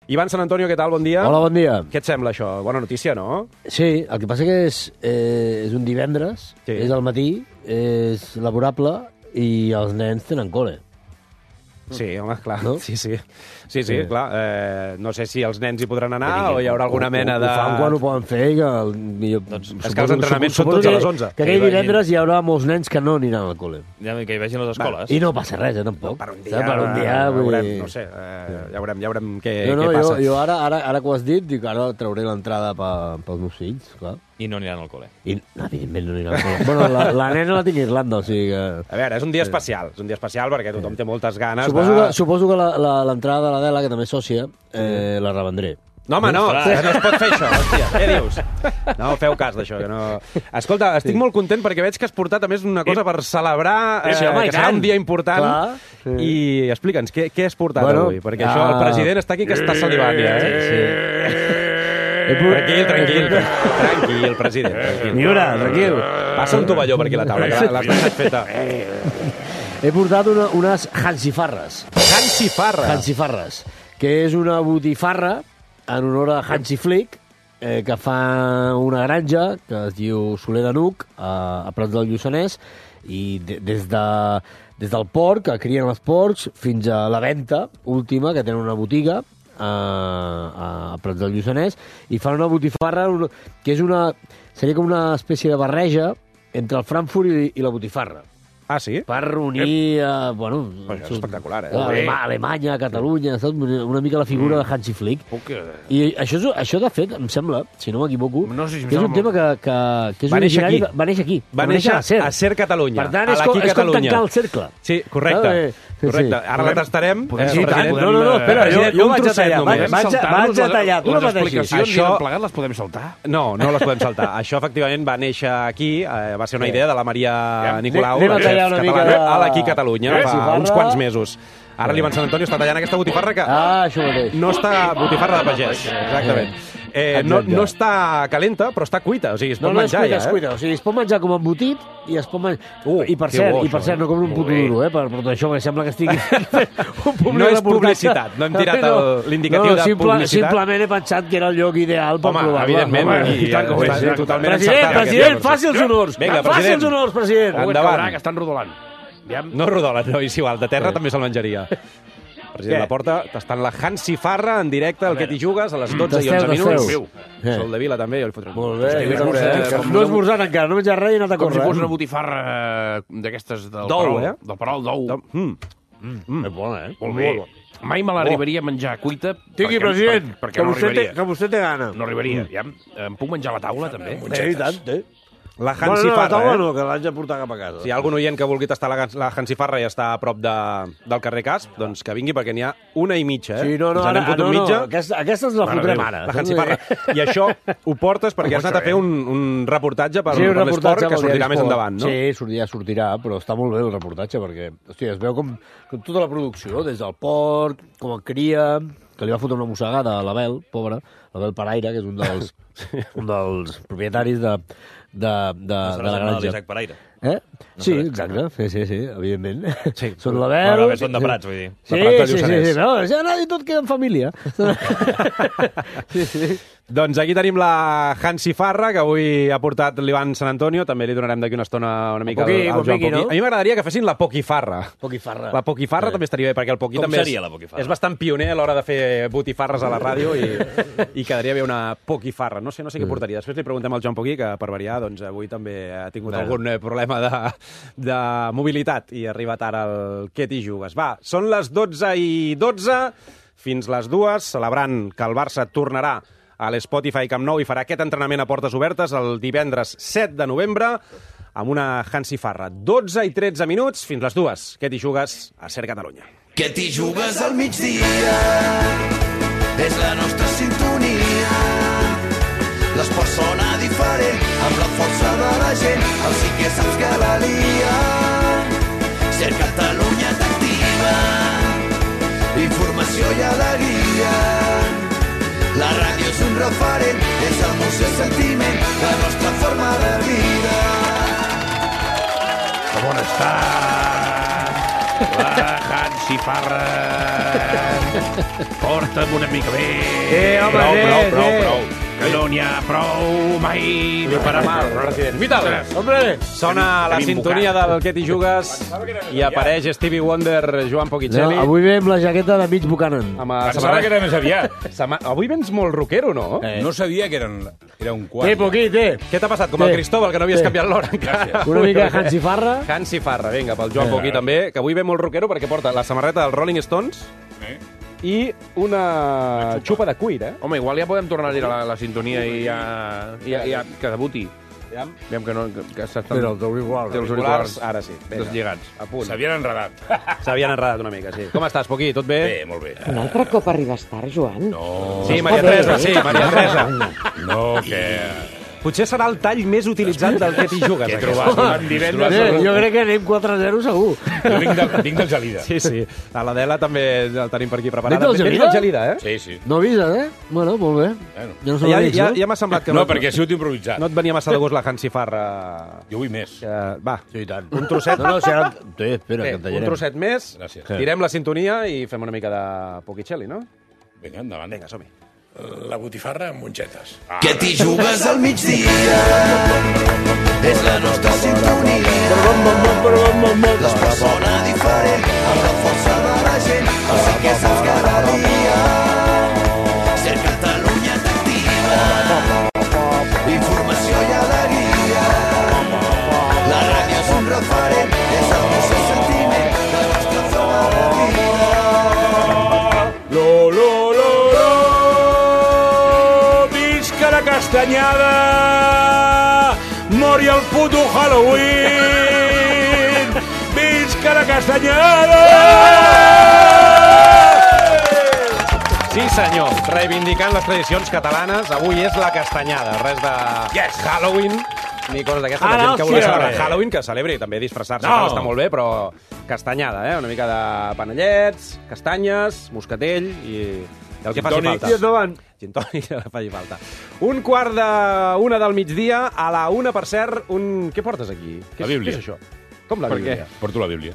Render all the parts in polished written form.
Ivan Sant Antonio, què tal? Bon dia. Hola, bon dia. Què et sembla, això? Bona notícia, no? Sí, el que passa que és un divendres, Sí. és al matí, és laborable i els nens tenen col·le. Sí, home, clar. No? Sí, clar. No sé si els nens hi podran anar o hi haurà alguna mena de... Ho fan quan ho poden fer, que millor... és que els entrenaments són tots a les 11. Que aquell divendres hi haurà molts nens que no aniran al col·le. Ja, que hi vegin les escoles. I no passa res, tampoc. Per un dia, vull veurem, dir... no sé, ja veurem què No, passa. jo ara que ho has dit, dic, ara trauré l'entrada pels meus fills, clar. I no aniran al col·le. I, evidentment, no aniran al col·le. Bueno, la nena la tinc a Irlanda, o sigui que... A veure, és un dia especial. És un dia especial perquè tothom té moltes ganes Suposo que l'entrada de l'Adela, que també és sòcia, la revendré. No, home, no, que no es pot fer això, hòstia. Què dius? No, feu cas d'això, que no... Escolta, estic molt content perquè veig que has portat, a més, una cosa per celebrar, que serà un dia important. Clar. I explica'ns, què has portat avui? Perquè això, el president està aquí que està salivant, ja. Tranquil, president. Miura, tranquil. Passa un tovalló per aquí a la taula, que l'has deixat feta. He portat unes hansifarres. Hansifarres, que és una botifarra en honor a Hansi Flick, que fa una granja que es diu Soler de Nuc, a Prats del Lluçanès, i des del porc, que crien els porcs, fins a la venta última, que tenen una botiga, a Prats del Lluçanès, i fan una botifarra que seria com una espècie de barreja entre el Frankfurt i la botifarra. Ah, sí? Per unir, Això és espectacular, Alemanya, Catalunya, saps? Una mica la figura de Hansi Flick. I això, de fet, em sembla, si no m'equivoco, que és un tema que és originari... Va néixer aquí. Va néixer a Ser Catalunya. Per tant, és com tancar el cercle. Sí, correcte. Ara la tastarem. No, espera, jo vaig a tallar. Vaig a tallar. Tu no les pateixis. explicacions i tot plegat les podem saltar? No les podem saltar. Això, efectivament, va néixer aquí. Va ser una idea de la Maria Nicolau, a l'Aquí Catalunya, fa uns quants mesos. Ara l'Ivan Sant Antonio està tallant aquesta botifarra que no està... Botifarra de pagès, exactament. No està calenta, però està cuita, o sigui, es pot menjar ja. No és cuita, o sigui, es pot menjar com embotit i es pot menjar... I per cert, no com un puto duro, per tot això, que sembla que estigui no és publicitat, no hem tirat l'indicatiu de publicitat. Simplement he pensat que era el lloc ideal per provar-la. Evidentment, totalment encertat. President, faci els honors! Faci els honors, president! Endavant. Que estan rodolant. No rodolen, no, és igual, de terra també se'l menjaria. President Laporta, tastant la hansifarra en directe al Que t'hi jugues a les 12 i 11 minuts. Sol de Vila també, jo li fotré. Molt bé. No he esmorzat encara, no he menjat res i he anat a córrer. Com si fos una botifarra d'aquestes del Perol d'ou. És bona, Molt bé. Mai me l'arribaria a menjar cuita. Tingui, president, perquè no arribaria. Que vostè té gana. No arribaria. Em puc menjar a la taula, també? I tant, té. La hansifarra, no, que l'haig de portar cap a casa. Si hi ha algun oient que vulgui tastar la hansifarra i està a prop del carrer Casp, doncs que vingui, perquè n'hi ha una i mitja, Sí, no, aquesta ens la fotrem ara. La hansifarra. I això ho portes perquè has anat a fer un reportatge per l'esport que sortirà més endavant, no? Sí, ja sortirà, però està molt bé el reportatge, perquè es veu com tota la producció, des del porc, com el cria, que li va fotre una mossegada a l'Abel, pobre, l'Abel Paraire, que és un dels propietaris de la granja. L'Isaac Paraire. Sí, exacte, sí, evidentment. Són l'Abel... Són de Prats, vull dir. Sí, no, ja i tot queda en família. Sí. Doncs aquí tenim la hansifarra, que avui ha portat l'Ivan Sant Antonio, també li donarem d'aquí una estona una mica al Joan Poquí. A mi m'agradaria que fessin la poquifarra. La poquifarra també estaria bé, perquè el Poquí també és bastant pioner a l'hora de fer botifarres a la ràdio i quedaria bé una poquifarra. No sé què portaria. Després li preguntem al Joan Poquí, que per variar, doncs avui també ha tingut algun problema de mobilitat i ha arribat ara el Que t'hi jugues. Va, són les 12:12, fins les 2, celebrant que el Barça tornarà a l'Spotify Camp Nou i farà aquest entrenament a portes obertes el divendres 7 de novembre amb una hansifarra. 12:13 minuts, fins les 2. Que t'hi jugues a Ser Catalunya. Que t'hi jugues al migdia, és la nostra sintonia. L'esport sona diferent, amb la força de la gent, el sí que saps que la lia. Ser Catalunya t'activa, informació i alegria. La ràdio és un referent, és emoció i sentiment, la nostra forma de vida. Com on estàs? La Hansi Farra. Porta'm una mica bé. Home, Prou. Que no n'hi ha prou mai de parar mal, president. Vital! Hombre! Sona la sintonia del Què t'hi jugues i apareix Stevie Wonder, Joan Poquicelli. No, avui ve amb la jaqueta de mig Buchanan. Pensava que era més aviat. Avui vens molt rockero, no? No sabia que era un quart. Poquit, Què t'ha passat? Com el Cristóbal, que no havies canviat l'hora encara. Una mica de Hansi Farra. Hansi Farra, vinga, pel Joan Poquí també, que avui ve molt rockero perquè porta la samarreta dels Rolling Stones i una xupa de cuir, Home, igual ja podem tornar a dir la sintonia i ja que debuti. Aviam que s'estan... Però els auriculars, ara sí. Deslligats. A punt. S'havien enredat. S'havien enredat una mica, sí. Com estàs, Poquí? Tot bé? Bé, molt bé. Un altre cop arribes tard, Joan? No. Sí, Maria Teresa. No, que... Potser serà el tall més utilitzat del Què t'hi jugues. Que he trobat divendres. Jo crec que anem 4-0 segur. Jo vinc del Gelida. Sí. A l'Adela també el tenim per aquí preparada. Vens del Gelida, Sí. No avises, Bueno, molt bé. Ja m'ha semblat que no, perquè ha sigut improvisat. No et venia massa de gust la Hansi Farra. Jo vull més. Va, sí, tant. Un trosset. No, serà... Espera, que un trosset més. Gràcies. Tirem la sintonia i fem una mica de Poquicelli, no? Vinga, endavant. Vinga, som-hi. La botifarra amb mongetes. Que t'hi jugues al migdia és la nostra sintonia. L'esport sona diferent amb la força de la gent. O sigui que saps cada dia ser Catalunya t'activa. Informació i alegria. La ràdio és un referent, és el nostre sentiment, la nostra zona de vida. La castanyada, mori el puto Halloween, visca la castanyada! Sí, senyor, reivindicant les tradicions catalanes, avui és la castanyada, res de Halloween, ni coses d'aquestes, la gent que vulgui celebrar Halloween, que celebri, també disfressar-se, està molt bé, però castanyada, una mica de panellets, castanyes, moscatell i el que faci falta. Gin tònic, que faci falta. 1:45 del migdia, a la 1, per cert, Què portes aquí? La Bíblia. Què és això? Com la Bíblia? Porto la Bíblia.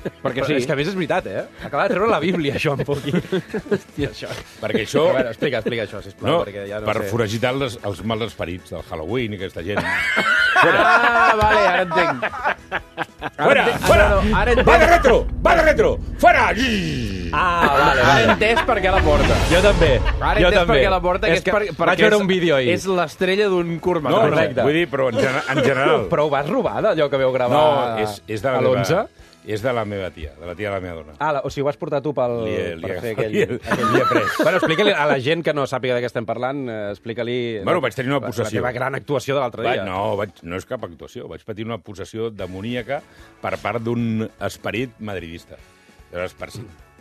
Perquè sí. És que a més és veritat, Acaba de treure la Bíblia, això, un poquí. Hòstia, això. Perquè això... A veure, explica això, sisplau. No, perquè ja no per sé. foragitar els mals esperits del Halloween i aquesta gent. Vale, ara entenc. Fora! Va de retro! Fora! Vale. Ara he entès per què la porta. Jo també. Ara he entès per què la porta, que és perquè vaig veure un vídeo ahir. És l'estrella d'un curtmetratge. No, correcte. Vull dir, però en general. Però ho vas robar d'allò que veu gravar és de a l'11? És de la meva tia, de la tia de la meva dona. O sigui, ho has portat tu per fer aquell... Li he pres. Bueno, explica-li a la gent que no sàpiga de què estem parlant, explica-li... Bueno, vaig tenir una possessió. La teva gran actuació de l'altre dia. No és cap actuació. Vaig patir una possessió demoníaca per part d'un esperit madridista. Llavors,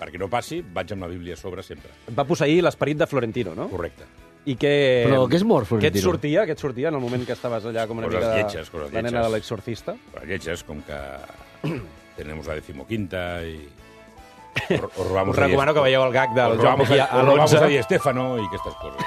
perquè no passi, vaig amb la Bíblia a sobre sempre. Et va posseir l'esperit de Florentino, no? Correcte. I què... Però què és mort, Florentino? Què et sortia en el moment que estaves allà com una Coses mica lletges. la nena de l'exorcista? Coses lletges, com que tenemos la 15ª i... Us recomano que veieu el gag del Joan Poquí a l'11. Robamos a Di Stéfano i aquestes coses.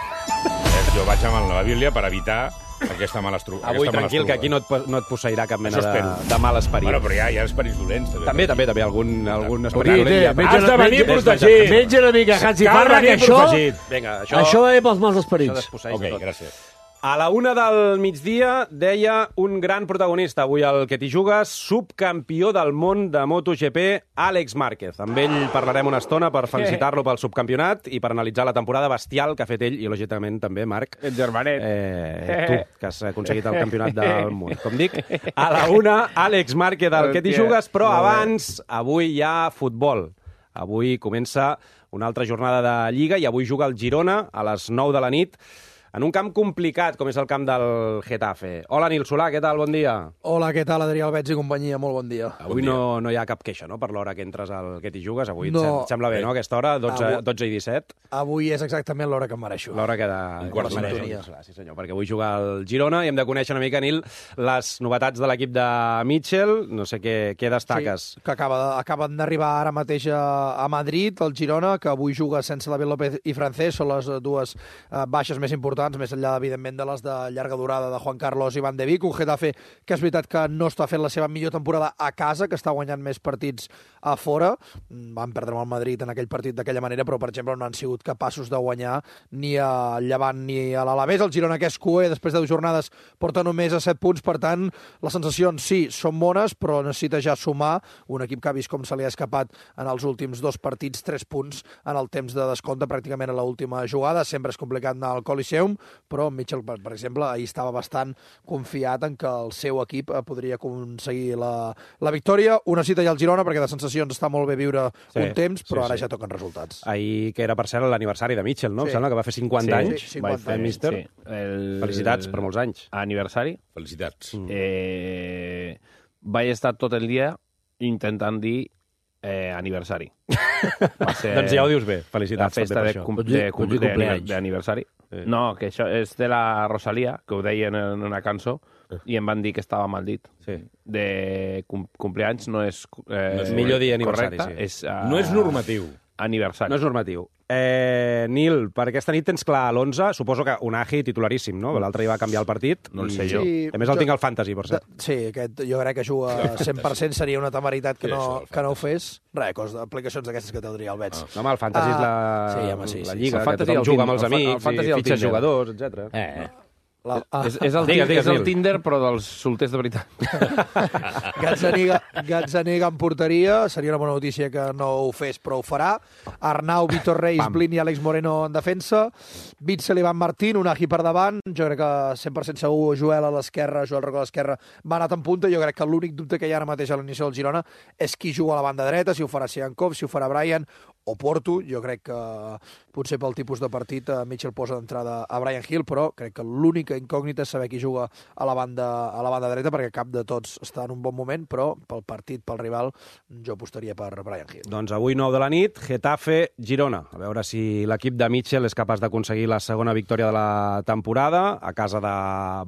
Jo vaig amb la Bíblia per evitar aquesta mala estructura. Avui tranquil, que aquí no et posseirà cap mena de mal esperit. Bueno, però hi ha esperits dolents. També, algun esperit dolent. Has de venir protegit. Menja una mica Hansi Farra, que això va bé pels mals esperits. Ok, gràcies. A la 1 del migdia deia un gran protagonista avui al Que t'hi jugues, subcampió del món de MotoGP, Àlex Márquez. Amb ell parlarem una estona per felicitar-lo pel subcampionat i per analitzar la temporada bestial que ha fet ell i, lògicament, també, Marc. El germanet. Tu, que has aconseguit el campionat del món. Com dic, a la 1, Àlex Márquez al Que t'hi jugues, però abans, avui hi ha futbol. Avui comença una altra jornada de Lliga i avui juga el Girona a les 9 de la nit en un camp complicat, com és el camp del Getafe. Hola, Nil Solà, què tal? Bon dia. Hola, què tal, Adrià Albets i companyia? Molt bon dia. Avui no hi ha cap queixa, no?, per l'hora que entres al Que t'hi jugues. Avui et sembla bé, no?, aquesta hora, 12 i 17. Avui és exactament l'hora que em mereixo. L'hora que mereixo. Sí, senyor, perquè avui juga el Girona i hem de conèixer una mica, Nil, les novetats de l'equip de Mitchell. No sé què destaques. Sí, que acaben d'arribar ara mateix a Madrid, el Girona, que avui juga sense David López i Francés, són les dues baixes més importants importants, més enllà, evidentment, de les de llarga durada de Juan Carlos i Van de Beek. Un Getafe que és veritat que no està fent la seva millor temporada a casa, que està guanyant més partits a fora. Van perdre amb el Madrid en aquell partit d'aquella manera, però, per exemple, no han sigut capaços de guanyar ni a Llevant ni a l'Alavés. El Girona, que és cué, després de 2 jornades, porta només a 7 punts. Per tant, les sensacions, sí, són bones, però necessita ja sumar. Un equip que ha vist com se li ha escapat en els últims 2 partits 3 punts en el temps de descompte, pràcticament a l'última jugada. Sempre és complicat anar al Coliseum, però Mitchell, per exemple, ahir estava bastant confiat en que el seu equip podria aconseguir la victòria. Ho necessita ja el Girona, perquè de sensacions està molt bé viure un temps, però ara ja toquen resultats. Ahir, que era, per cert, l'aniversari de Mitchell, no? Em sembla que va fer 50 anys. Sí, 50 anys. Míster. Felicitats per molts anys. Aniversari. Felicitats. Vaig estar tot el dia intentant dir aniversari. Doncs ja ho dius bé. Felicitats. La festa d'aniversari. No, que això és de la Rosalía, que ho deien en una cançó, i em van dir que estava mal dit. Sí. De compleanys no és millor dir aniversari, correcte. sí. No és normatiu. Aniversari. No és normatiu. Nil, per aquesta nit tens clar l'11, suposo que Unai titularíssim, no? L'altre dia va canviar el partit. No el sé jo. A més el tinc al Fantasy, per cert. Sí, aquest jo crec que juga 100%, seria una temeritat que no ho fes. Res, aplicacions d'aquestes que té el Adrià Albets. No, home, el Fantasy és la lliga, que tothom juga amb els amics, i fitxes jugadors, etc. És el Tinder, però dels solters de veritat. Gazzaniga en porteria, seria una bona notícia que no ho fes, però ho farà. Arnau, Vitor Reis, Blin i Àlex Moreno en defensa. Witzel, Ivan Martín, Unai per davant. Jo crec que 100% segur Joel a l'esquerra, Joel Rocco a l'esquerra va anat en punta. Jo crec que l'únic dubte que hi ha ara mateix a l'inici del Girona és qui juga a la banda dreta, si ho farà Siankov, si ho farà Brian o Porto. Jo crec que potser pel tipus de partit Mitchell posa d'entrada a Brian Hill, però crec que l'única incògnita és saber qui juga a la banda dreta, perquè cap de tots està en un bon moment, però pel partit, pel rival, jo apostaria per Brian Hill. Doncs avui 9 de la nit, Getafe-Girona. A veure si l'equip de Mitchell és capaç d'aconseguir la segona victòria de la temporada a casa de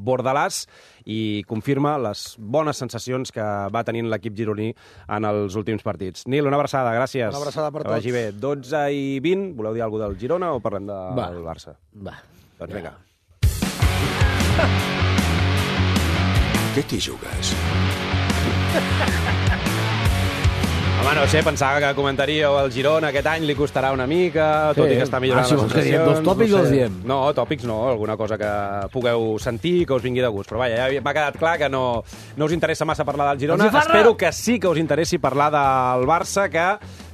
Bordalàs i confirma les bones sensacions que va tenint l'equip gironí en els últims partits. Nil, una abraçada, gràcies. Una abraçada per tots. Que vagi bé. 12 i 20, voleu dir alguna cosa del Girona o parlem del Barça? Va. Doncs vinga. Què t'hi jugues? Home, no sé, pensava que comentaríeu el Girona aquest any li costarà una mica, tot i que està millorant les sensacions. Que dos tòpics els diem? No, tòpics no, alguna cosa que pugueu sentir, que us vingui de gust. Però vaja, ja m'ha quedat clar que no us interessa massa parlar del Girona. Espero que sí que us interessi parlar del Barça, que,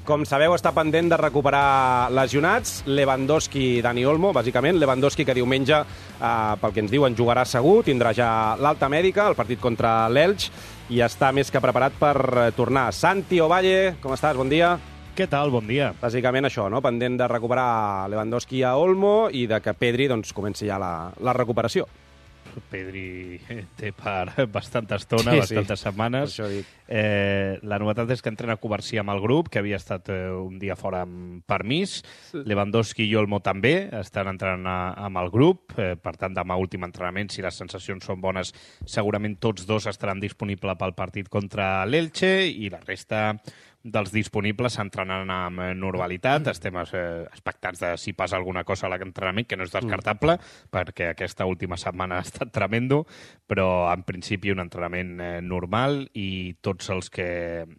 com sabeu, està pendent de recuperar lesionats. Lewandowski i Dani Olmo, bàsicament. Lewandowski, que diumenge, pel que ens diuen, jugarà segur, tindrà ja l'alta mèdica, el partit contra l'Elx, i està més que preparat per tornar. Santi Ovalle, com estàs? Bon dia. Què tal? Bon dia. Bàsicament això, no? Pendent de recuperar Lewandowski a Olmo i de que Pedri doncs, comenci ja la recuperació. Pedri té per bastanta estona, bastantes setmanes. Per això dic. La novetat és que entrena Covarsí amb el grup, que havia estat un dia fora amb permís. Lewandowski i Olmo també estan entrenant amb el grup. Per tant, demà últim entrenament, si les sensacions són bones, segurament tots dos estaran disponibles pel partit contra l'Elche i la resta dels disponibles s'entrenaran amb normalitat. Estem expectats de si passa alguna cosa a l'entrenament, que no és descartable, perquè aquesta última setmana ha estat tremendo, però en principi un entrenament normal i tots els que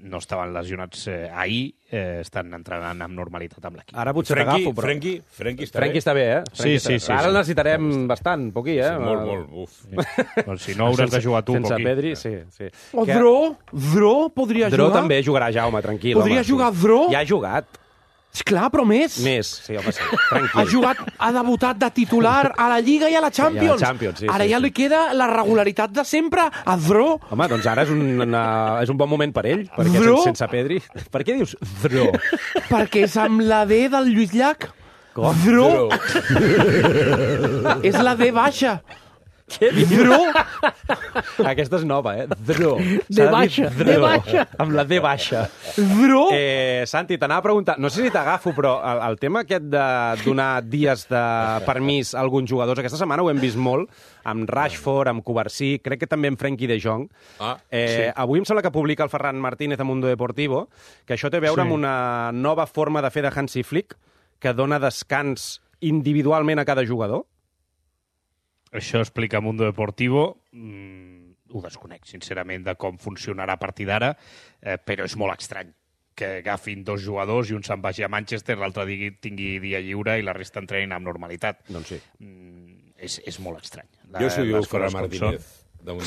no estaven lesionats ahir estan entrenant amb normalitat amb l'equip. Ara potser t'agafo, però... Frenkie està bé, eh? Sí. Ara el necessitarem bastant, poquí, eh? Sí, molt, uf. Doncs si no hauràs de jugar tu, sense poquí. Pedri, sí. O Dro podria jugar? Dro també jugarà, Jaume, tranquil. Podria jugar Dro? Ja ha jugat. Esclar, però més. Més, sí, home, sí. Tranquil. Ha debutat de titular a la Lliga i a la Champions. Sí, ara ja li queda la regularitat de sempre a Dro. Home, doncs ara és un bon moment per ell, perquè sense Pedri... Per què dius Dro? Perquè és amb la D del Lluís Llach. Com? Dro. És la D baixa. Què dius? Dro. Aquesta és nova, Dro. D baixa. D baixa. Amb la D baixa. Dro. Santi, t'anava a preguntar, no sé si t'agafo, però el tema aquest de donar dies de permís a alguns jugadors, aquesta setmana ho hem vist molt, amb Rashford, amb Covarsí, crec que també amb Frenkie de Jong. Sí. Avui em sembla que publica el Ferran Martínez a Mundo Deportivo, que això té a veure amb una nova forma de fer de Hansi Flick, que dona descans individualment a cada jugador. això explica Mundo Deportivo, ho desconec, sincerament, de com funcionarà a partir d'ara, però és molt estrany que agafin 2 jugadors i un se'n vagi a Manchester, l'altre tingui dia lliure i la resta entrenin amb normalitat. Doncs sí. És molt estrany. Jo si ho diu Ferran Martínez.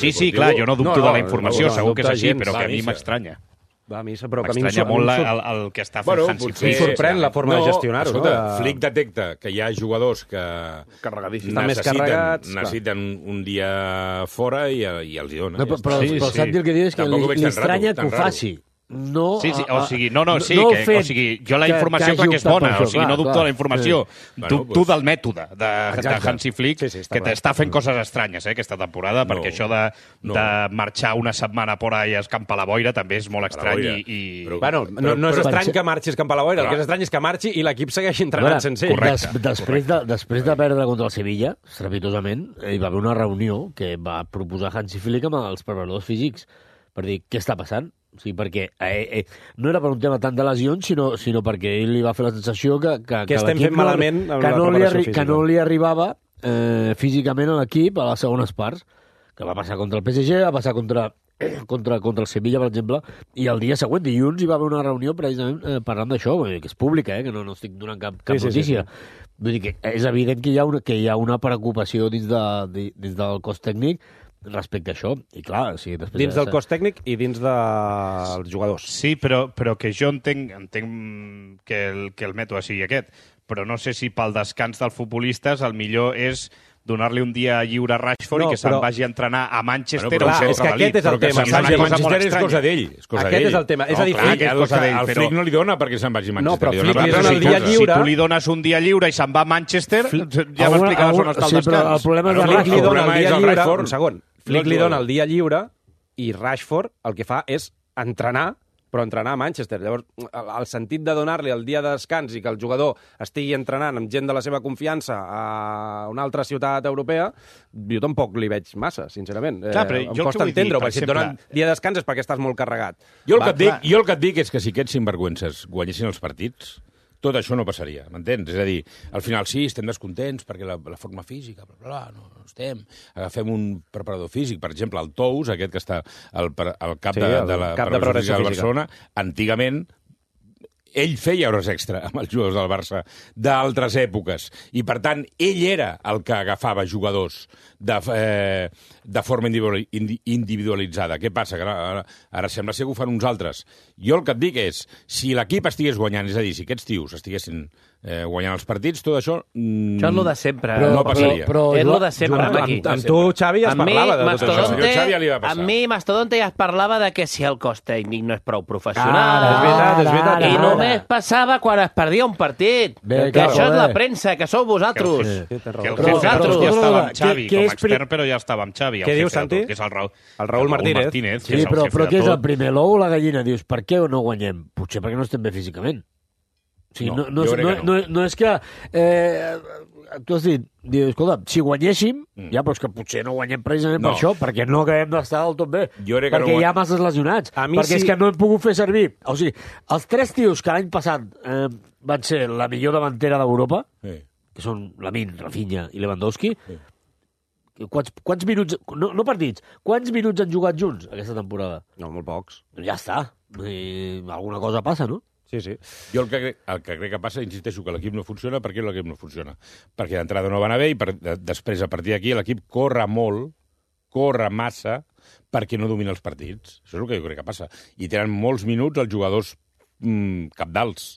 Sí, clar, jo no dubto de la informació, segur que és així, però que a mi m'estranya. M'estranya molt el que està fent Hansi Flick. Em sorprèn la forma de gestionar-ho. Escolta, Flick detecta que hi ha jugadors que necessiten un dia fora i els hi dona. Però Santi el que diu és que li estranya que ho faci. No, o sigui, jo la informació clar que és bona, o sigui, no dubto de la informació, dubto del mètode de Hansi Flick, que està fent coses estranyes aquesta temporada, perquè això de marxar una setmana por ahí a escampar la boira també és molt estrany. Bueno, no és estrany que marxi a escampar la boira, el que és estrany és que marxi i l'equip segueixi entrenant sense ell. Després de perdre contra el Sevilla, estrepitosament, hi va haver una reunió que va proposar Hansi Flick amb els preparadors físics per dir què està passant. O sigui, perquè no era per un tema tant de lesions, sinó perquè ell li va fer la sensació que estem fent malament amb la preparació física. Que no li arribava físicament a l'equip a les segones parts, que va passar contra el PSG, va passar contra el Sevilla, per exemple, i el dia següent, dilluns, hi va haver una reunió precisament parlant d'això, que és pública, que no estic donant cap notícia. Vull dir que és evident que hi ha una preocupació dins del cos tècnic respecte a això, i clar... O sigui, dins del cos tècnic i dins dels jugadors. Sí, però que jo entenc que el mètode sigui aquest, però no sé si pel descans dels futbolistes el millor és donar-li un dia lliure a Rashford i que se'n vagi a entrenar a Manchester. És que aquest és el tema. Manchester és cosa d'ell. Aquest és el tema. És a dir, el Flick no li dona perquè se'n vagi a Manchester. No, però Flick li dona el dia lliure. Si tu li dones un dia lliure i se'n va a Manchester, ja m'explicaràs on està el descans. Però el problema és Flick li dona el dia lliure. Un segon. Flick li dona el dia lliure i Rashford el que fa és entrenar, però entrenar a Manchester. Llavors, el sentit de donar-li el dia de descans i que el jugador estigui entrenant amb gent de la seva confiança a una altra ciutat europea, jo tampoc li veig massa, sincerament. Clar, em costa entendre-ho, perquè si et donen dia de descans és perquè estàs molt carregat. Jo el que et dic és que si aquests sinvergüences guanyessin els partits, tot això no passaria, m'entens? És a dir, al final sí, estem descontents perquè la forma física, no estem. Agafem un preparador físic, per exemple, el Tous, aquest que està al cap de la preparació física del Barcelona, antigament ell feia hores extra amb els jugadors del Barça d'altres èpoques i, per tant, ell era el que agafava jugadors de forma individualitzada. Què passa? Que ara sembla ser que ho fan uns altres. Jo el que et dic és, si l'equip estigués guanyant, és a dir, si aquests tios estiguessin guanyant els partits, tot això això és lo de sempre. No passaria. És lo de sempre. Amb tu, Xavi, ja es parlava de tot això. A mi, Mastodonte, ja es parlava de que si el cos tècnic no és prou professional. És veritat. I només passava quan es perdia un partit. Que això és la premsa, que sou vosaltres. Que el jefe ja estava amb Xavi, com a expert, però ja estava amb Xavi. Què dius, Santi? Que és el Raúl Martínez. Sí, però què és el primer, l'ou o la gallina? Dius, per què no guanyem? Potser perquè no estem bé físicament. O sigui, no és que... Tu has dit, escolta, si guanyéssim, ja, però és que potser no guanyem precisament per això, perquè no acabem d'estar del tot bé. Perquè hi ha masses lesionats. Perquè és que no hem pogut fer servir. O sigui, els 3 tios que l'any passat van ser la millor davantera d'Europa, que són Lamine, Rafinha i Lewandowski, quants minuts... No partits. Quants minuts han jugat junts aquesta temporada? No, molt pocs. Ja està. Alguna cosa passa, no? Sí. Jo el que crec que passa, insisteixo, que l'equip no funciona. Per què l'equip no funciona? Perquè d'entrada no va anar bé i després, a partir d'aquí, l'equip corre molt, corre massa, perquè no domina els partits. Això és el que jo crec que passa. I tenen molts minuts els jugadors cabdals.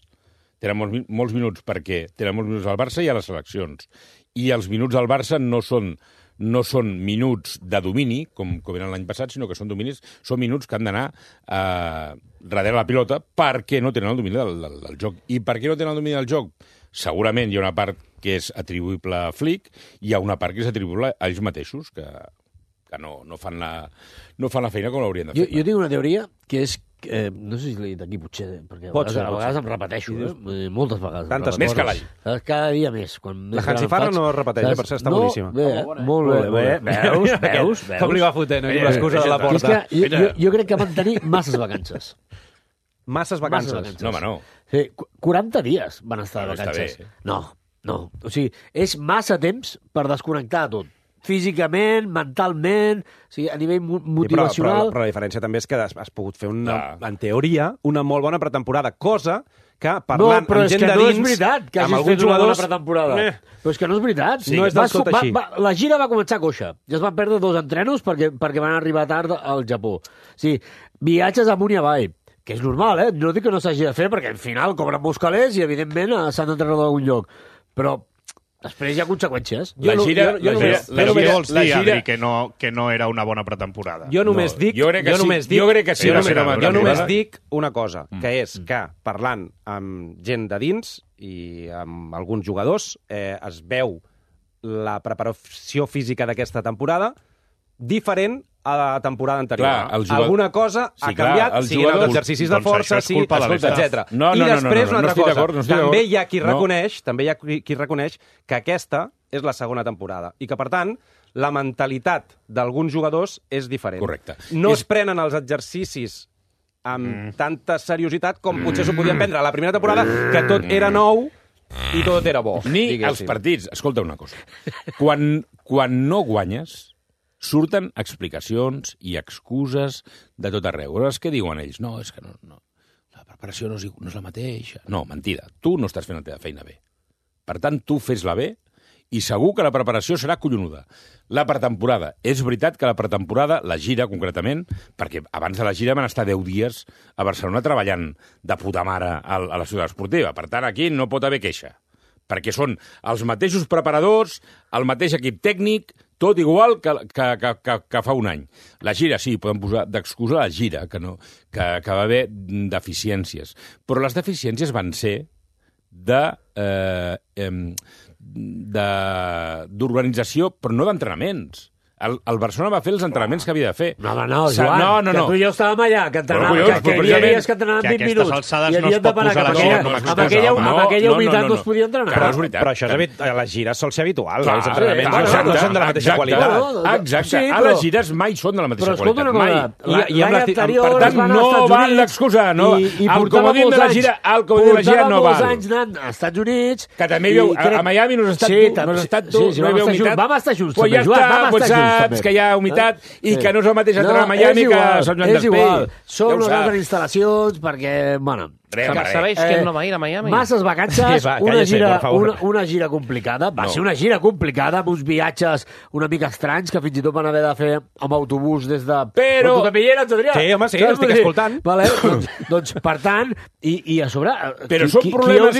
Tenen molts minuts perquè tenen molts minuts al Barça i a les seleccions. I els minuts al Barça no són minuts de domini, com eren l'any passat, sinó que són minuts que han d'anar darrere la pilota perquè no tenen el domini del joc. I per què no tenen el domini del joc? Segurament hi ha una part que és atribuïble a Flick i hi ha una part que és atribuïble a ells mateixos, que no fan la feina com l'haurien de fer. Jo tinc una teoria que és no sé si l'he dit aquí, potser, perquè a vegades em repeteixo, moltes vegades. Tantes més que l'any. Cada dia més. La Hansi Farra no es repeteix, per ser està boníssima. Molt bé. Veus? Com li va fotent aquí l'excusa de la porta. Jo crec que van tenir masses vacances. Masses vacances? No, home, no. 40 dies van estar de vacances. No. O sigui, és massa temps per desconnectar de tot. físicament, mentalment, o sigui, a nivell motivacional... Però la diferència també és que has pogut fer, en teoria, una molt bona pretemporada, cosa que parlant amb gent de dins... No, però és que no és veritat que hagis fet una bona pretemporada. Però és que no és veritat. No és del tot així. La gira va començar coixa. Ja es van perdre 2 entrenos perquè van arribar tard al Japó. Sí, viatges amunt i avall, que és normal, No dic que no s'hagi de fer, perquè al final cobren molts calés i, evidentment, s'han d'entrenar d'algun lloc. Però després hi ha conseqüències. La gira vols dir, Adri, que no era una bona pretemporada. Jo només dic... Jo crec que sí. Jo només dic una cosa, que és que parlant amb gent de dins i amb alguns jugadors es veu la preparació física d'aquesta temporada diferent a la temporada anterior. Alguna cosa ha canviat, siguin els exercicis de força, etc. I després, una altra cosa, també hi ha qui reconeix que aquesta és la segona temporada i que, per tant, la mentalitat d'alguns jugadors és diferent. Correcte. No es prenen els exercicis amb tanta seriositat com potser s'ho podien prendre a la primera temporada, que tot era nou i tot era bo. Ni els partits. Escolta una cosa. Quan no guanyes, surten explicacions i excuses de tot arreu. Llavors, què diuen ells? No, és que no, la preparació no és la mateixa. No, mentida. Tu no estàs fent la teva feina bé. Per tant, tu fes-la bé i segur que la preparació serà collonuda. La pretemporada. És veritat que la pretemporada, la gira concretament, perquè abans de la gira van estar 10 dies a Barcelona treballant de puta mare a la ciutat esportiva. Per tant, aquí no pot haver queixa. Perquè són els mateixos preparadors, el mateix equip tècnic, tot igual que fa un any. La gira, sí, podem posar d'excusa la gira, que va haver deficiències. Però les deficiències van ser d'organització, però no d'entrenaments. El Barcelona va fer els entrenaments que havia de fer. No, Joan, que tu i jo estàvem allà, que entrenàvem, que hi havia dies que entrenaven 20 minuts, i havíem de parar cap amb aquella humitat no es podia entrenar. Però això a les gires sol ser habitual, els entrenaments no són de la mateixa qualitat. Exacte, a les gires mai són de la mateixa qualitat. Però escolta una cosa, l'any anterior per tant, no val l'excusa, el comodín de la gira no val. Portava molts anys anant als Estats Units, que també a Miami no has estat tu, no hi havia humitat. Vam estar junts, també, Joan, vam estar junts. Que hi ha humitat i que no és el mateix entrenar a Miami que a Sant Joan d'Espí. Són unes altres instal·lacions perquè, bueno... Sabeu que no va ir a Miami? Masses vacances, una gira complicada. Va ser una gira complicada, amb uns viatges una mica estranys que fins i tot van haver de fer amb autobús des de... Però tu també hi eres, Adrià? Sí, home, sí, estic escoltant. Doncs, per tant, i a sobre... Però són problemes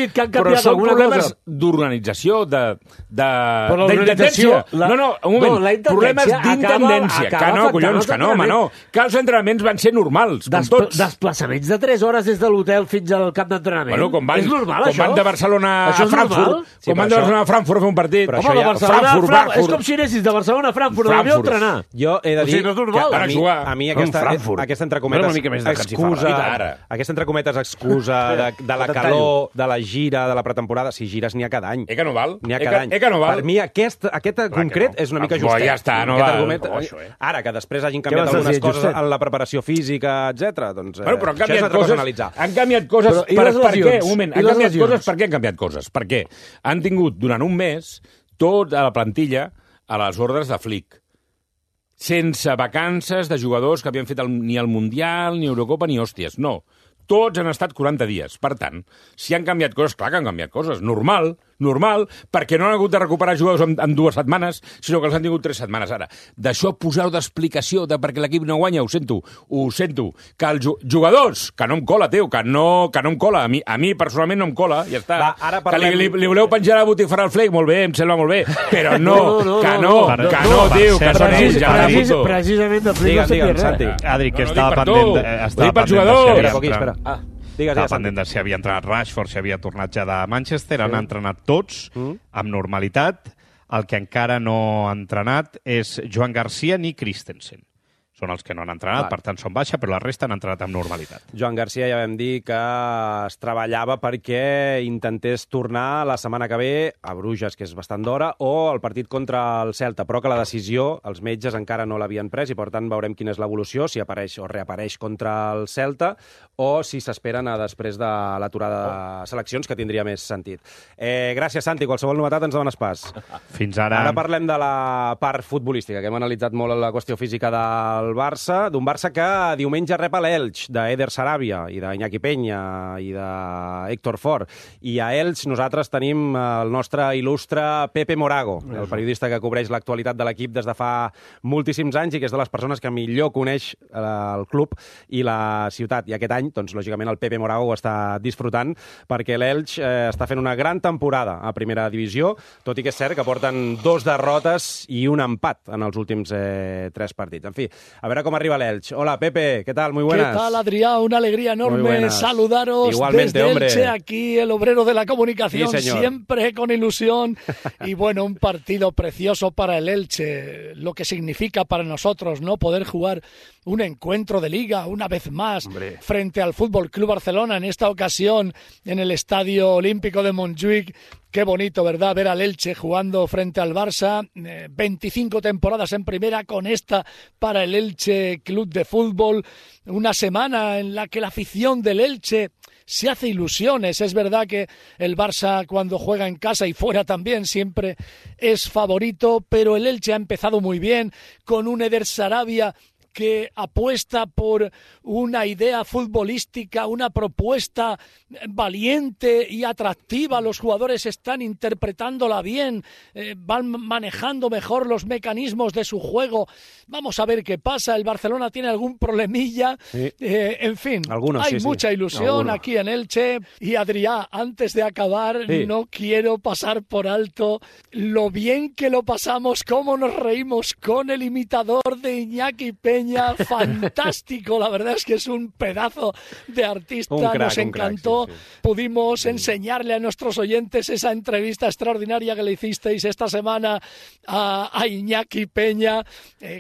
d'organització, d'intendència. No, un moment. Problemes d'intendència. Que no, collons, que no, home, no. Que els entrenaments van ser normals, com tots. Desplaçaments de 3 hores des de l'hotel fins al camp d'entrenament. És normal, això? Com van de Barcelona a Frankfurt. Com van de Barcelona a Frankfurt a fer un partit. Home, de Barcelona a Frankfurt. És com si anessis de Barcelona a Frankfurt a l'avió a entrenar. Jo he de dir que a mi aquesta entrecometes excusa de la calor, de la gira, de la pretemporada, si gires n'hi ha cada any. Que no val? N'hi ha cada any. Per mi aquest concret és una mica justet. Ja està, no val. Ara, que després hagin canviat algunes coses en la preparació física, etc. doncs però han canviat coses per què? Un moment, han canviat coses per què han canviat coses? Perquè han tingut durant un mes tota la plantilla a les ordres de Flick, sense vacances de jugadors que havien fet ni el Mundial, ni Eurocopa, ni hòsties. No, tots han estat 40 dies. Per tant, si han canviat coses, clar que han canviat coses. Normal, perquè no han hagut de recuperar jugadors en 2 setmanes, sinó que els han tingut 3 setmanes. Ara, d'això posar-ho d'explicació de perquè l'equip no guanya, ho sento. Que els jugadors, que no em cola, tio, que no em cola. A mi personalment no em cola, ja està. Que li voleu penjar la botifarra al Flick, molt bé, em sembla molt bé, però no, tio, que són ells, ja està. Precisament de Flick no sentia res. Adri, que estava pendent Estava pendent de si havia entrenat Rashford, si havia tornat ja de Manchester. Han entrenat tots amb normalitat. El que encara no ha entrenat és Joan Garcia ni Christensen. són els que no han entrenat, per tant són baixa, però la resta han entrenat amb normalitat. Joan Garcia ja vam dir que es treballava perquè intentés tornar la setmana que ve a Bruges, que és bastant d'hora, o el partit contra el Celta, però que la decisió els metges encara no l'havien pres i per tant veurem quina és l'evolució, si apareix o reapareix contra el Celta o si s'esperen a després de l'aturada de seleccions, que tindria més sentit. Gràcies, Santi. Qualsevol novetat ens dones pas. Fins ara. Ara parlem de la part futbolística, que hem analitzat molt la qüestió física del Barça, d'un Barça que diumenge rep a l'Elx, d'Eder Sarabia i d'Iñaki Peña i d'Héctor Fort. I a Elx nosaltres tenim el nostre il·lustre Pepe Morago, el periodista que cobreix l'actualitat de l'equip des de fa moltíssims anys i que és de les persones que millor coneix el club i la ciutat. I aquest any, doncs, lògicament, el Pepe Morago ho està disfrutant perquè l'Elx està fent una gran temporada a primera divisió, tot i que és cert que porten 2 derrotes i un empat en els últims 3 partits. En fi, a ver cómo arriba el Elche. Hola, Pepe, ¿qué tal? Muy buenas. ¿Qué tal, Adrián? Una alegría enorme saludaros. Igualmente, desde hombre. Elche, aquí el obrero de la comunicación, sí, siempre con ilusión. Y bueno, un partido precioso para el Elche, lo que significa para nosotros, ¿no? Poder jugar un encuentro de liga una vez más frente al Fútbol Club Barcelona, en esta ocasión en el Estadio Olímpico de Montjuïc. Qué bonito, ¿verdad?, ver al Elche jugando frente al Barça. 25 temporadas en primera, con esta para el Elche Club de Fútbol. Una semana en la que la afición del Elche se hace ilusiones. Es verdad que el Barça, cuando juega en casa y fuera también, siempre es favorito, pero el Elche ha empezado muy bien, con un Eder Sarabia que apuesta por una idea futbolística, una propuesta valiente y atractiva. Los jugadores están interpretándola bien, van manejando mejor los mecanismos de su juego. Vamos a ver qué pasa. El Barcelona tiene algún problemilla. Sí. En fin, hay mucha ilusión aquí en Elche. Y Adrià, antes de acabar, no quiero pasar por alto lo bien que lo pasamos, cómo nos reímos con el imitador de Iñaki Peña. Fantástico, la verdad es que es un pedazo de artista, nos encantó. Pudimos enseñarle a nuestros oyentes esa entrevista extraordinaria que le hicisteis esta semana a Iñaki Peña,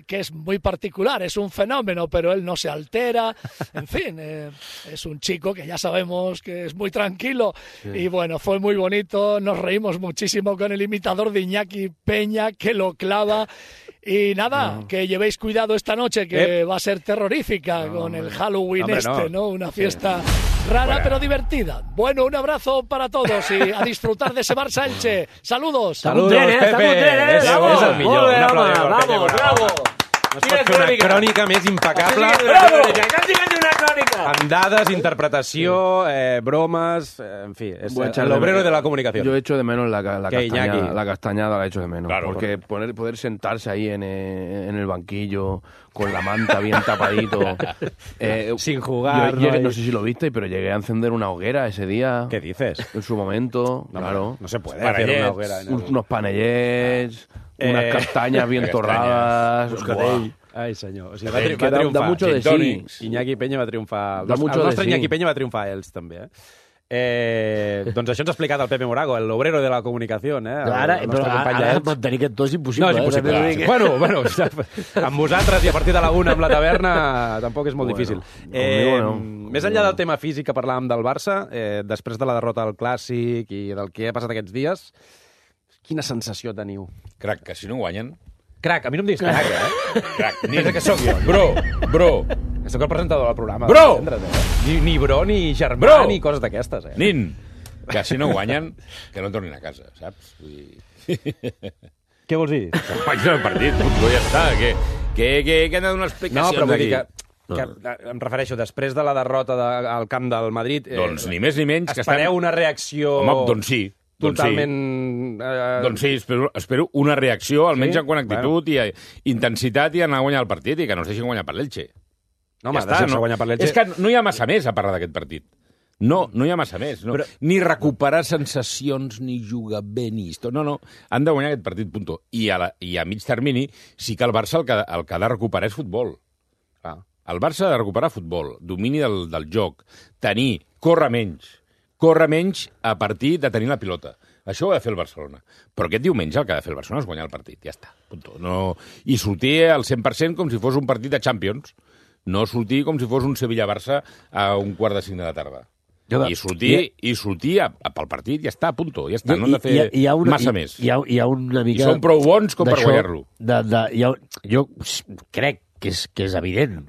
que es muy particular, es un fenómeno, pero él no se altera, en fin, es un chico que ya sabemos que es muy tranquilo, y bueno, fue muy bonito, nos reímos muchísimo con el imitador de Iñaki Peña, que lo clava. Y nada, que llevéis cuidado esta noche, que va a ser terrorífica con el Halloween ¿no? Una fiesta rara pero divertida. Bueno, un abrazo para todos y a disfrutar de ese Barça Elche. Saludos. Saludos, Pepe. És el millor. Un aplaudiment, bravo. No es pot fer una crònica més impecable. Amb dades, interpretació, bromas, en fi, es el obrero de la comunicación. Yo echo de menos la castañada la echo de menos. Claro, porque poder sentarse ahí en el banquillo con la manta bien tapadito. Sin jugar. Yo no sé si lo viste, pero llegué a encender una hoguera ese día. ¿Qué dices? En su momento, no, claro. No se puede hacer una hoguera. Unos panellets, unas castañas bien torradas. Ai, senyor. O sigui, va triomfar. Da mucho de sí. Iñaki Peña va triomfar. El nostre Iñaki Peña va triomfar a ells, també. Doncs això ens ha explicat el Pepe Morago, el obrero de la comunicació. Ara mantenir aquest to és impossible. No, és impossible. Bueno, amb vosaltres i a partir de la 1 amb la taverna tampoc és molt difícil. Més enllà del tema físic que parlàvem del Barça, després de la derrota al Clàssic i del que ha passat aquests dies, quina sensació teniu? Crac, que si no guanyen... Crac, a mi no em diguis crac, Crac, nin que sóc jo. Bro. Soc el presentador del programa. Bro! Ni bro, ni germà, ni coses d'aquestes, Nin, que si no guanyen, que no tornin a casa, saps? Què vols dir? Guanyen el partit, ja està. Que hem de donar explicacions aquí. No, però vull dir que em refereixo, després de la derrota al camp del Madrid... Doncs ni més ni menys... Espereu una reacció... Home, doncs sí. Totalment... Doncs sí, espero una reacció, almenys en quant a actitud i intensitat i anar a guanyar el partit i que no es deixin guanyar per l'Elche. No, home, deixar-se guanyar per l'Elche... És que no hi ha massa més a parlar d'aquest partit. No hi ha massa més. No. Ni recuperar sensacions, ni jugar bé, ni història. No, han de guanyar aquest partit, punto. I a mig termini sí que el Barça el que ha de recuperar és futbol. El Barça ha de recuperar futbol, domini del joc, córrer menys a partir de tenir la pilota. Això ho ha de fer el Barcelona. Però aquest diumenge el que ha de fer el Barcelona és guanyar el partit, ja està. Punto. No... I sortir al 100% com si fos un partit de Champions. No sortir com si fos un Sevilla-Barça a 4:45 de la tarda. I sortir pel partit, ja està, punto. Ja està, no hem de fer massa més. Hi ha una mica... I són prou bons com per guanyar-lo. Jo crec que és evident.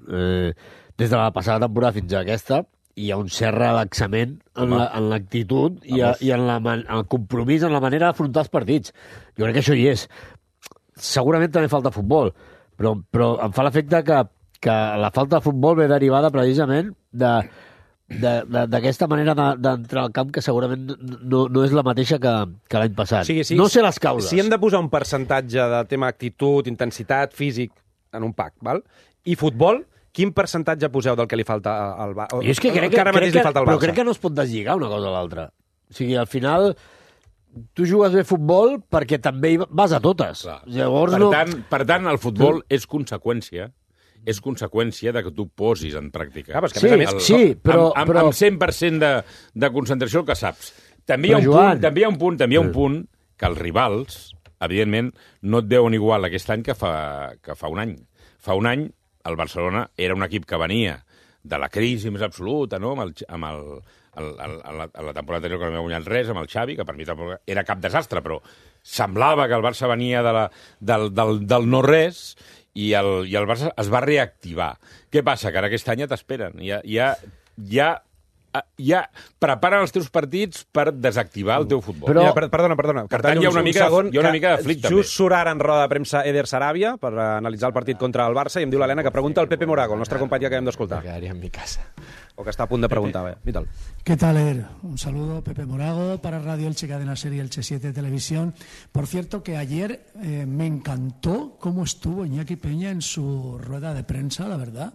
Des de la passada temporada fins a aquesta, hi ha un cert relaxament en l'actitud i en el compromís, en la manera d'afrontar els partits. Jo crec que això hi és. Segurament també falta futbol, però em fa l'efecte que la falta de futbol ve derivada precisament d'aquesta manera d'entrar al camp que segurament no és la mateixa que l'any passat. Sí. No sé les causes. Si hem de posar un percentatge de tema actitud, intensitat, físic en un pack, val? I futbol, quin percentatge poseu del que li falta al Barça? Jo és que crec que no es pot deslligar una cosa a l'altra. O sigui, al final, tu jugues bé futbol perquè també vas a totes. Llavors, per tant, el futbol és conseqüència de que tu posis en pràctica. Amb 100% de concentració el que saps. També hi ha un punt que els rivals, evidentment, no et deuen igual aquest any que fa un any. Fa un any el Barcelona era un equip que venia de la crisi més absoluta, no? A la temporada anterior que no havia guanyat res, amb el Xavi, que per mi tampoc era cap desastre, però semblava que el Barça venia del no-res i el Barça es va reactivar. Què passa? Que ara aquest any ja t'esperen. Ja preparen els teus partits per desactivar el teu futbol. Però, perdona. Per tant, hi ha una mica de flic, també. Just surt ara en roda de premsa Eder Sarabia per analitzar el partit contra el Barça i em diu l'Helena que pregunta al Pepe Morago, el nostre company que acabem d'escoltar. Me quedaría en mi casa. O que està a punt de preguntar. Míralo. ¿Qué tal, Eder? Un saludo, Pepe Morago, para Radio Elche, Cadena Ser y Elche 7 Televisión. Por cierto, que ayer me encantó cómo estuvo Iñaki Peña en su rueda de prensa, la verdad.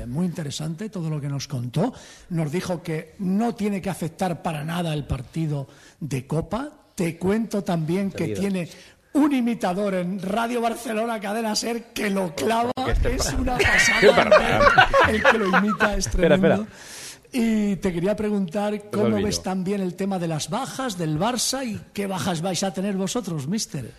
Muy interesante todo lo que nos contó. Nos dijo que no tiene que afectar para nada el partido de Copa. Te cuento también que tiene un imitador en Radio Barcelona, Cadena Ser, que lo clava. Es una pasada. El que lo imita es tremendo. Y te quería preguntar cómo ves también el tema de las bajas del Barça y qué bajas vais a tener vosotros, míster.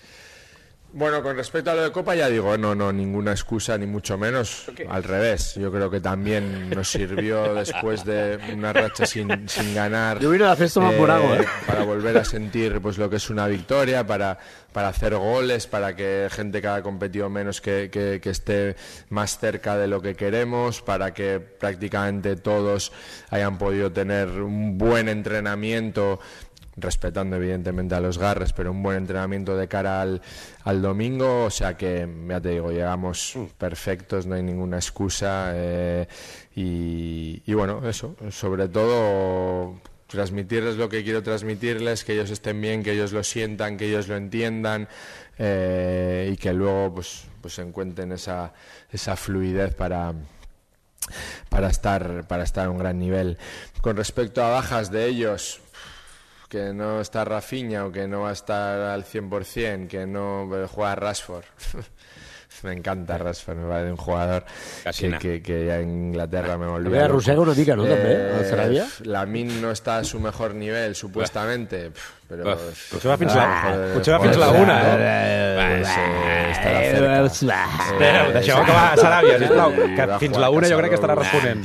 Bueno, con respecto a lo de Copa ya digo, no, ninguna excusa ni mucho menos, al revés. Yo creo que también nos sirvió después de una racha sin ganar. Yo vine a la fiesta más Morago, para volver a sentir pues lo que es una victoria, para hacer goles, para que gente que ha competido menos que esté más cerca de lo que queremos, para que prácticamente todos hayan podido tener un buen entrenamiento, respetando evidentemente a los Garres, pero un buen entrenamiento de cara al domingo, o sea que, ya te digo, llegamos perfectos, no hay ninguna excusa y bueno, eso, sobre todo transmitirles lo que quiero transmitirles, que ellos estén bien, que ellos lo sientan, que ellos lo entiendan y que luego pues encuentren esa fluidez para estar a un gran nivel. Con respecto a bajas de ellos, que no está Rafinha o que no va a estar al 100%, que no juega Rashford. Me encanta Rashford, me parece un jugador que ya en Inglaterra me volvió. ¿Había arrossega una mica, no, també, el Sarabia? Lamine no està a su mejor nivel, supuestamente, però... Potser va fins la una, deixeu acabar Sarabia, sisplau, que fins la una jo crec que estarà responent.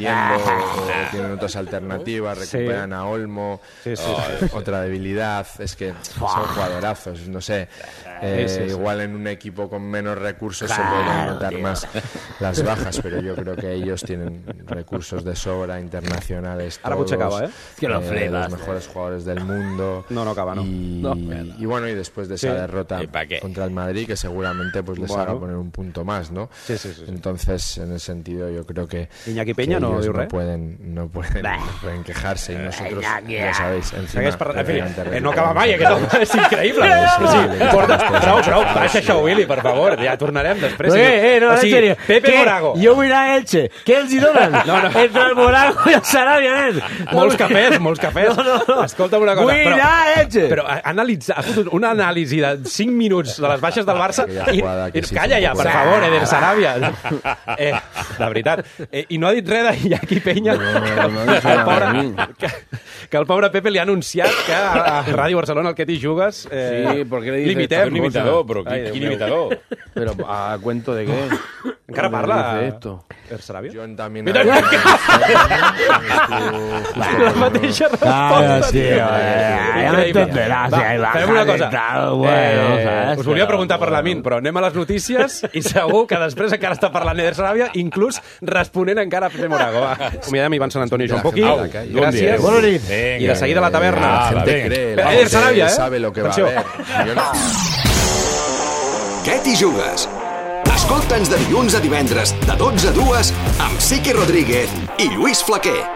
Tienen otras alternativas, recuperan a Olmo, otra debilidad, es que son jugadorazos, no sé, igual en un equipo con menos recursos se pueden notar más las bajas, pero yo creo que ellos tienen recursos de sobra, internacionales, todos, los mejores jugadores del mundo. No acaba, ¿no? Y bueno, y después de esa derrota contra el Madrid, que seguramente pues les haga poner un punto más, ¿no? Entonces, en ese sentido, yo creo que Iñaki Peña no pueden quejarse, y nosotros, ja sabéis, no acaba mai, és increïble. Prou, baixa això, Willy, per favor, ja tornarem després. No, en serio. Pepe Morago. Jo vull anar a Elche. Què els hi donen? Entre el Morago i el Sarabia, nen. Molts cafès. Escolta'm una cosa. Vull anar a Elche. Però ha fotut una anàlisi de 5 minuts de les baixes del Barça i calla, ja, per favor, Eder Sarabia. De veritat. I no ha dit res d'Iñaki Peña. Que el pobre Pepe li ha anunciat que a Ràdio Barcelona, el que t'hi jugues, limitem. Un imitador, però quin imitador? Però a cuento de què? Encara parla Eder Sarabia? John també... La mateixa resposta. Ja m'entenderàs. Fem una cosa. Us volia preguntar per Lamin, però anem a les notícies i segur que després encara està parlant Eder Sarabia, inclús responent encara a Pepe Morago. Acomiadem Ivan Sant Antonio i Joan Poquí. Gràcies. Bona nit. I de seguida a la taverna. Eder Sarabia, sabe lo que va a haber. Què t'hi jugues? Escolta'ns de dilluns a divendres, de 12 a 2, amb Siqui Rodríguez i Lluís Flaquer.